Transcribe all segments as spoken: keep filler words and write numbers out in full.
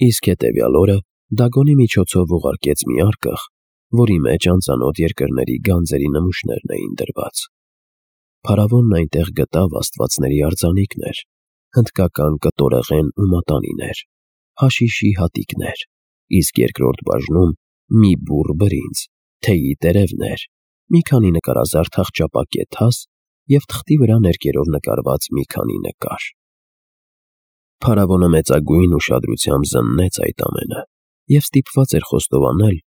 Իսկ հետևյալ օրը Դագոնի միջոցով ուղարկեց մի արկղ, որի մեջ անծանոթ երկրների գանձերի նմուշներն էին դրված։ Փարավոնն այնտեղ գտավ աստվածների արձանիկներ, հնդկական կտորեղեն ու մատանիներ, հաշիշի հատիկներ, իսկ երկրորդ բաժնում մի բուռ բրինձ, թեյի տերևներ, մի քանի նկարազարդ աղճապակե թաս և թղթի վրա ներկերով նկարված մի քանի նկար։ Փարավոնը մեծագույն ուշադրությամբ զննեց այդ ամենը և ստիպված էր խոստովանել,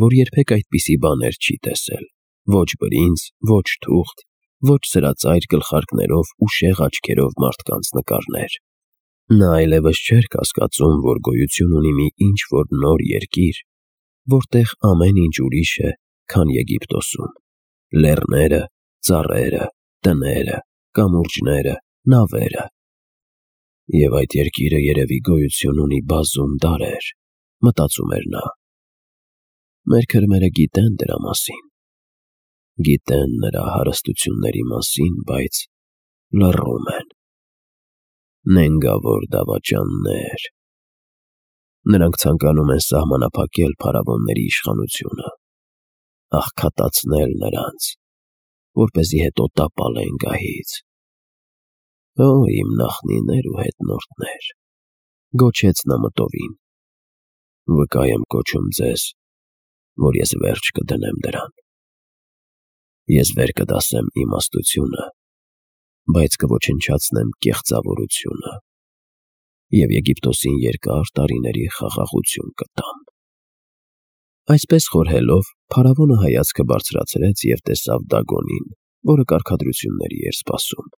որ երբեք այդպիսի բաներ չի տեսել. ոչ բրինձ, ոչ թուղթ, ոչ սրածայր գլխարկներով ու շեղ աչքերով մարդկանց նկարներ։ Նա այլևս չէր կասկածում, որ գոյություն ունի մի ինչ-որ նոր երկիր, որտեղ ամեն ինչ ուրիշ է, քան Եգիպտոսում. լեռները, ծառերը, տները, կամուրջները, նավերը։ Եվ այդ երկիրը երևի գոյություն ունի բազում դարեր, մտածում էր նա։ Մեր քրմերը գիտեն դրա մասին, գիտեն նրա հարստությունների մասին, բայց լռում են։ Նենգավոր դավաճաններ։ Նրանք ցանկանում են սահմանափակել փարավոնների իշխանությունը, աղքատացնել նրանց, որպեսզի հետո տապալեն գահից։ Օ, իմ նախնիներ ու հետնորդներ, գոչեց նա մտովին, վկա եմ կոչում ձեզ, որ ես վերջ կդնեմ դրան։ Ես վեր կդասեմ իմաստությունը, բայց կոչնչացնեմ կեղծավորությունը և Եգիպտոսին երկար տարիների խաղաղություն կտամ։ Այսպես խորհելով, փարավոնը հայացքը բարձրացրեց և տեսավ Դագոնին, որը կարգադրությունների էր սպասում։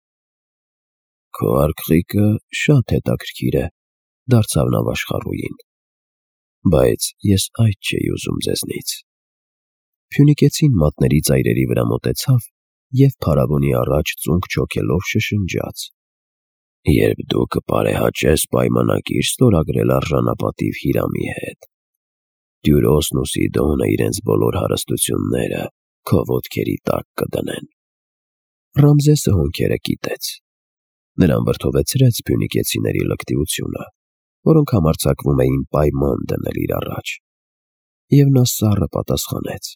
Քո արկղիկը շատ հետաքրքիր է, դարձավ նա վաշխառուին, բայց ես այդ չէի ուզում ձեզնից։ Փյունիկեցին մատների ծայրերի վրա մոտեցավ և փարավոնի առաջ ծունկ չոքելով շշնջաց. Երբ դու կպարեհաճես պայմանագիր ստորագրել արժանապատիվ Հիրամի հետ, Տյուրոսն ու Սիդոնը իրենց բոլոր հարստությունները քո ոտքերի տակ կդնեն։ Ռամզեսը հոնքերը կիտեց։ Նրան վրդովեցրեց փյունիկեցիների լկտիությունը, որոնք համարձակվում էին պայման դնել իր առաջ։ Եվ նա սառը պատասխանեց.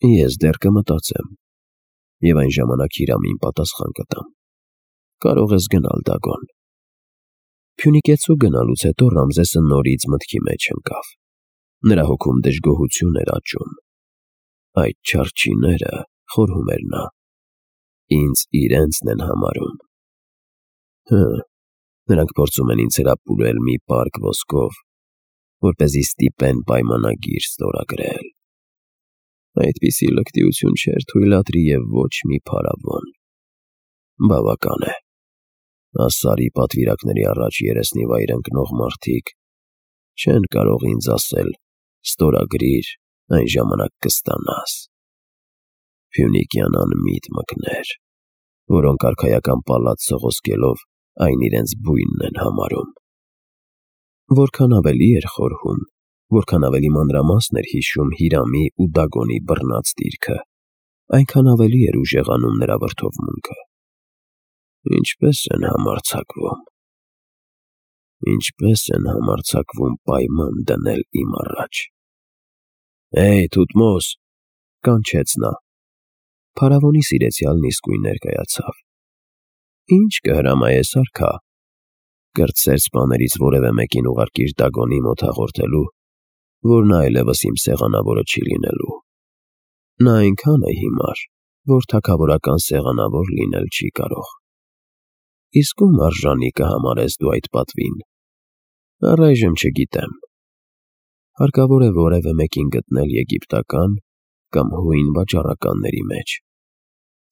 Ես դեռ կմտածեմ, և այն ժամանակ Հիրամին պատասխան կտամ։ Կարող ես գնալ, Դագոն։ Փյունիկեցու գնալուց հետո Ռամզեսը նորից մտքի մեջ ընկավ։ Նրա հոգում դժգոհություն էր աճում։ Այդ չարչիները, խորհում էր նա, ինձ իրենցն են համարում։ Հը, նրանք փորձում են ինձ հրապուրել մի պարկ ոսկով, որպեսզի ստիպեն պայմանագիր ստորագրել։ Այդպիսի լկտիություն չէր թույլատրի և ոչ մի փարավոն։ Բավական է։ Ասարի պատվիրակների առաջ երեսնիվայր ընկնող մարդիկ չեն կարող ինձ ասել. ստորագրիր, այն ժամանակ կստանաս։ Փյունիկյան անմիտ մկներ, որոնք արքայական պալատ սողոսկելով այն իրենց բույնն են համարում։ Որքան ավելի էր խորհում, որքան ավելի մանրամասն էր հիշում Հիրամի ու Դագոնի բռնած դիրքը, այնքան ավելի էր ուժեղանում նրա վրդովմունքը։ Ինչպե՞ս են համարձակվում։ Ինչպե՞ս են համարձակվում պայման դնել իմ առաջ։ Հեյ, Թութմոս, կանչեց նա։ Փարավոնի սիրեցյալն իսկույն ներկայացավ։ Ինչ կհրամայես, արքա։ Կրտսեր սպաներից որևէ մեկին ուղարկիր Դագոնի մոտ հաղորդելու, որ նա այլևս իմ սեղանավորը չի լինելու։ Նա այնքան է հիմար, որ թագավորական սեղանավոր լինել չի կարող։ Իսկ ում արժանի կհամարես դու այդ պատվին։ Առայժմ չգիտեմ։ Հարկավոր է որևէ մեկին գտնել եգիպտական կամ հույն վաճառականների մեջ։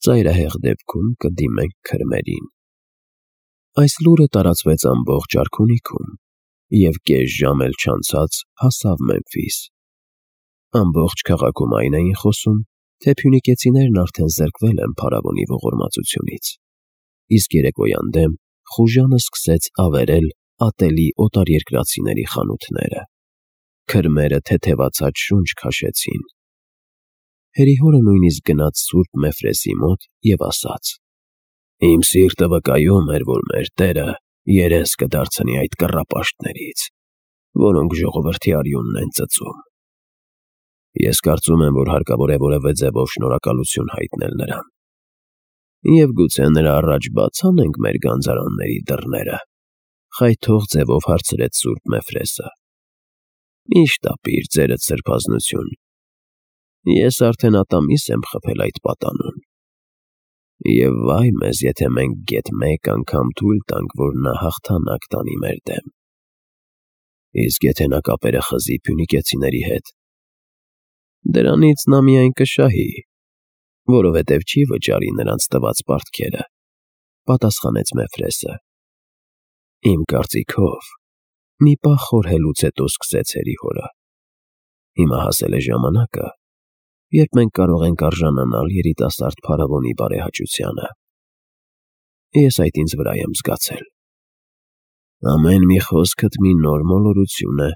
Ծայրահեղ դեպքում կդիմենք քրմերին։ Այս լուրը տարածվեց ամբողջ արքունիքում, և կես ժամ էլ չանցած հասավ Մեմֆիս։ Ամբողջ քաղաքում այն էին խոսում, թե փյունիկեցիներն արդեն զրկվել են փարավոնի ողորմածությունից։ Իսկ երեկոյան դեմ խուժանը սկսեց ավերել ատելի օտարերկրացիների խանութները։ Քրմերը թեթևացած շունչ քաշեցին։ Հերիհորը նույնիսկ գնաց սուրբ Մեֆրեսի մոտ և ասաց. Իմ սիրտը վկայում էր, որ մեր Տերը երես կդարձնի այդ կռապաշտներից։ որոնք ժողովրդի արյունն են ծծում։ Ես կարծում եմ, որ հարկավոր է որևէ ձևով շնորհակալություն հայտնել նրան։ Եվ գուցե նրա առաջ բաց անենք մեր գանձարանների դռները, խայթող ձևով հարցրեց Սուրբ Մեֆրեսը։ Միշտ ապիր ձերդ սրբազնություն։ Ես արդեն ատամիս եմ խփել այդ պատանուն։ Եվ վայ մեզ, եթե մենք գեթ մեկ անգամ թույլ տանք, որ նա հաղթանակ տանի մեր դեմ։ Իսկ եթե նա կապերը խզի փյունիկեցիների հետ, դրանից նա միայն կշահի, որովհետև չի վճարի նրանց տված պարտքերը, պատասխանեց Մեֆրեսը։ Իմ կարծիքով, մի պահ խորհելուց հետո սկսեց հերիհորը։ Հիմա հասել է ժամանակը, երբ մենք կարող ենք արժանանալ երիտասարդ փարավոնի բարեհաճությանը։ Ես այդ ինձ վրա եմ զգացել։ Ամեն մի խոսքդ մի նոր մոլորություն է,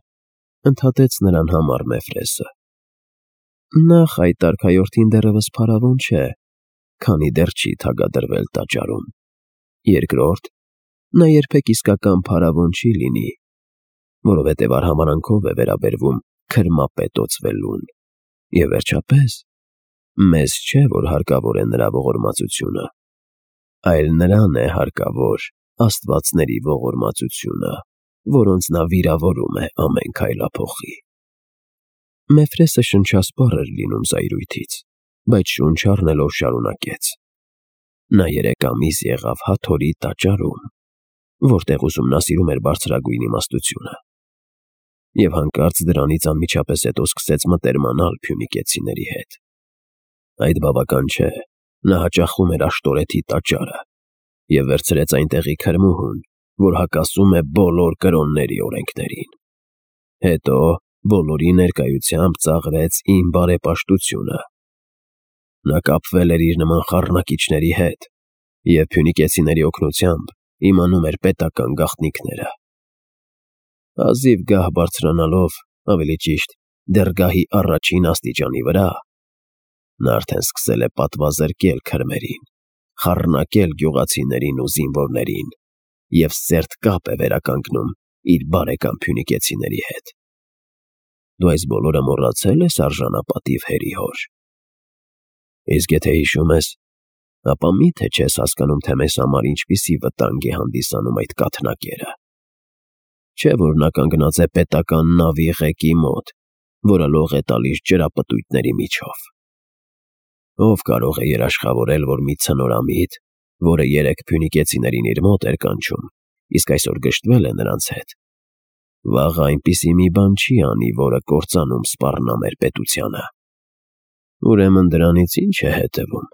ընդհատեց նրան համար Մեֆրեսը։ Նախ այդ արքայորդին դեռևս փարավոն չէ, քանի դեռ չի թագադրվել տաճարում։ Երկրորդ, նա երբեք իսկական փարավոն չի լինի, որովհետև արհամարանքով է վերաբերվում քրմապետոցվելուն։ Եվ վերջապես, մեզ չէ, որ հարկավոր է նրա ողորմածությունը, այլ նրան է հարկավոր աստվածների ողորմածությունը, որոնց նա վիրավորում է ամեն քայլափոխի։ Մեֆրեսը շնչասպառ էր լինում զայրույթից, բայց շունչ առնելով շարունակեց. Նա երեք ամիս եղավ Հաթորի տաճարում, որտեղ ուսումնասիրում էր բարձրագույն իմաստությունը, և հանկարծ դրանից անմիջապես հետո սկսեց մտերմանալ փյունիկեցիների հետ։ Այդ բավական չէ, նա հաճախում էր Աշտորեթի տաճարը և վերցրեց այնտեղի քրմուհուն, որ հակասում է բոլոր կրոնների օրենքներին։ Հետո բոլորի ներկայությամբ ծաղրեց իմ բարեպաշտությունը։ Նա կապվել էր իր նման խառնակիչների հետ և փյունիկեցիների օգնությամբ իմանում էր պետական գաղտնիքները։ Հազիվ գահ բարձրանալով, ավելի ճիշտ, դեռ գահի առաջին աստիճանի վրա, նա արդեն սկսել է պատվազրկել քրմերին, խառնակել գյուղացիներին ու զինվորներին և սերտ կապ է վերականգնում իր բարեկամ փյունիկեցիների հետ։ Դու այս բոլորը մոռացել ես արժանապատիվ հերիհոր։ Իսկ եթե հիշում ես, ապա մի՞թե չես հասկանում, թե մեզ համար ինչպիսի վտանգ է հանդիսանում այդ կաթնակերը։ Չէ՞ որ նա կանգնած է պետական նավի ղեկի մոտ, որը լող է տալիս ջրապտույտների միջով։ Ով կարող է երաշխավորել, որ մի ցնորամիտ, որը երեք փյունիկեցիներին իր մոտ էր կանչում, իսկ այսօր գժտվել է նրանց հետ, վաղը այնպիսի մի բան չի անի, որը կործանում սպառնա մեր պետությանը։ Ուրեմն դրանից ի՞նչ է հետևում,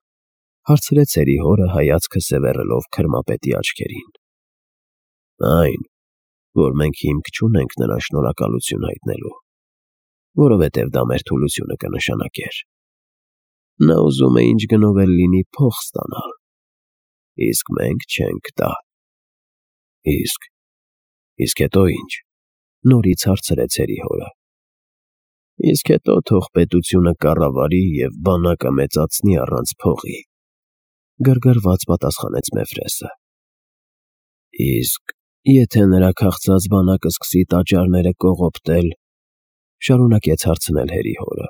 հարցրեց հերիհորը հայացքը սևեռելով քրմապետի աչքերին։ Այն, որ մենք հիմք չունենք նրան շնորհակալություն հայտնելու, որովհետև դա մեր թուլությունը կնշանակեր։ Նա ուզում է ինչ գնով էլ լինի փող ստանալ, իսկ մենք չենք տա։ Իսկ, իսկ հետո ի՞նչ, նորից հարցրեց հերիհորը։ Իսկ հետո թող պետությունը կառավարի և բանակը մեծացնի առանց փողի, գրգռված պատասխանեց Մեֆրեսը։ Իսկ եթե նրա քաղցած բանակը սկսի տաճարները կողոպտել, շարունակեց հարցնել հերիհորը։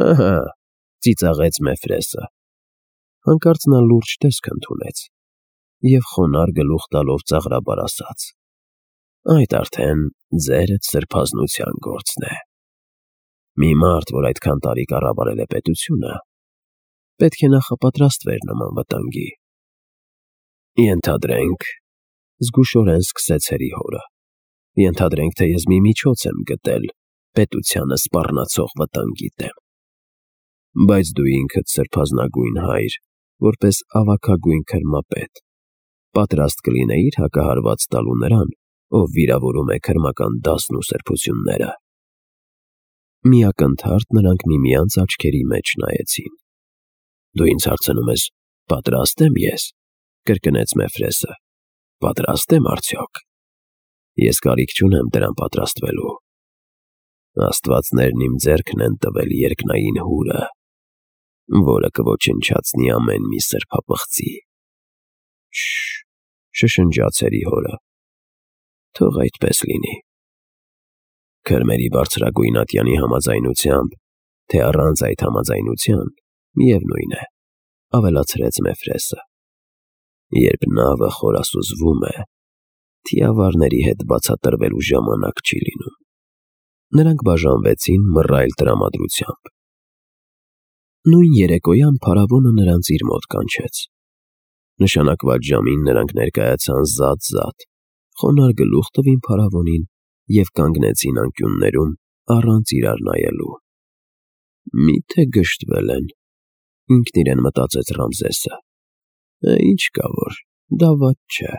Ահա, ծիծաղեց Մեֆրեսը։ Հանկարծ նա լուրջ տեսք ընդունեց և խոնարհ գլուխ տալով ծաղրաբար ասաց. Այդ արդեն ձերդ սրբազնության գործն է։ Մի մարդ, որ այդքան տարի կառավարել է պետությունը, պետք է նախապատրաստվեր նման վտանգի։ Ենթադրենք, զգուշորեն սկսեց հերիհորը, ենթադրենք, թե ես մի միջոց եմ գտել պետությանը սպառնացող վտանգի դեմ։ Բայց դու ինքդ սրբազնագույն հայր, որպես ավագագույն քրմապետ, պատրաստ կլինեի՞ր հակահարված տալու նրան, ով վիրավորում է քրմական դասն ու սրբությունները։ Մի ակնթարթ նրանք միմյանց աչքերի մեջ նայեցին։ Դու ինձ հարցնում ես, պատրա՞ստ եմ ես, կրկնեց Մեֆրեսը։ Պատրաստ եմ արդյոք։ Ես կարիք չունեմ դրան պատրաստվելու։ Աստվածներն իմ ձեռքն են տվել երկնային հուրը, որը կոչնչացնի ամեն մի սրբապղծի։ Շ… շշնջաց հերիհորը։ Թող այդպես լինի։ Քրմերի բարձրագույն ատյանի համաձայնությամբ, թե առանց այդ համաձայնության, միևնույն է, ավելացրեց Մեֆրեսը։ Երբ նավը խորասուզվում է, թիավարների հետ բացատրվելու ժամանակ չի լինում։ Նրանք բաժանվեցին մռայլ տրամադրությամբ։ Նույն երեկոյան փարավոնը նրանց իր մոտ կանչեց։ Նշանակված ժամին նրանք ներկայացան զատ-զատ, խոնարհ գլուխ տվին փարավոնին և կանգնեցին անկյուններում առանց իրար նայելու։ Մի՞թե գժտվել են, ինքն իրեն մտածեց Ռամզեսը։ Ինչ կա որ, դա վատ չէ։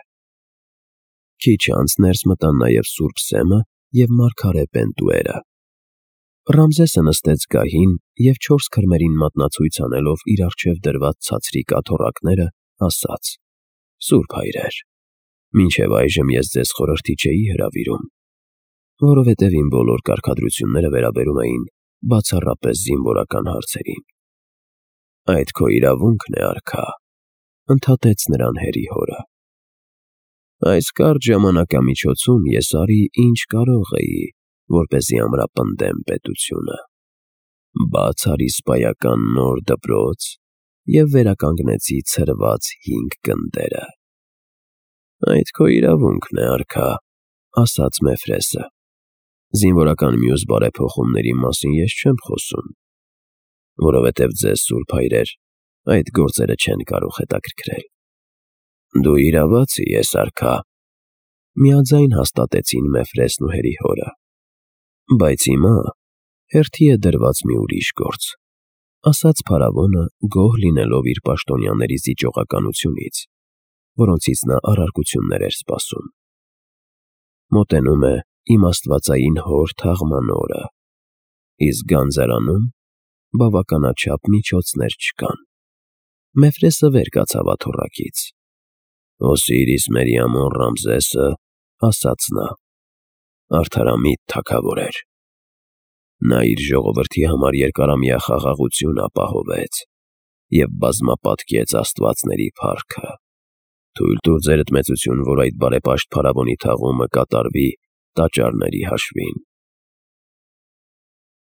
Քիչ անց ներս մտան նաև սուրբ Սեմը և մարգարե Պենտուերը։ Ռամզեսը նստեց գահին և չորս քրմերին մատնացույց անելով իր առջև դրված ցածրիկ աթոռակները, ասաց. «Սուրբ հայրեր, մինչև այժմ ես ձեզ խորհրդի չէի հրավիրում, որովհետև իմ բոլոր կարգադրությունները վերաբերում էին բացառապես զինվորական հարցերին»։ «Այդ քո իրավունքն է, արքա», ընդհատեց նրան հերի հորը։ «Այս կարճ ժամանակամիջոցում ես արի, ինչ կարող էի, որպեսզի ամրապնդեմ պետությունը։ Բաց արի սպայական նոր դպրոց և վերականգնեցի ցրված հինգ գնդերը»։ «Այդ քո իրավունքն է, արքա», ասաց Մեֆրեսը։ «Զինվորական մյուս բարեփոխումների մասին ես չեմ խոսում, որովհետև ձեզ, սուրբ հայրեր, այդ գործերը չեն կարող հետաքրքրել»։ «Դու իրավացի ես, արքա», միաձայն հաստատեցին Մեֆրեսն ու հերի հորը։ «Բայց հիմա հերթի է դրված մի ուրիշ գործ», ասաց փարավոնը, գոհ լինելով իր պաշտոնյաների զիջողականությունից, որոնցից նա առարկություններ էր սպասում։ «Մոտենում է իմ աստվածային հոր թաղման օրը, իսկ գանձարանում բավականաչափ միջոցներ չկան»։ Մեֆրեսը վեր կացավ աթոռակից։ «Օսիրիս մերի ամոն Ռամզեսը, ասաց նա, արդարամիտ թագավոր էր։ Նա իր ժողովրդի համար երկարամյա խաղաղություն ապահովեց և բազմապատկեց աստվածների փառքը։ Թույլ տուր ձերդ մեծություն, որ այդ բարեպաշտ փարավոնի թաղումը կատարվի տաճարների հաշվին»։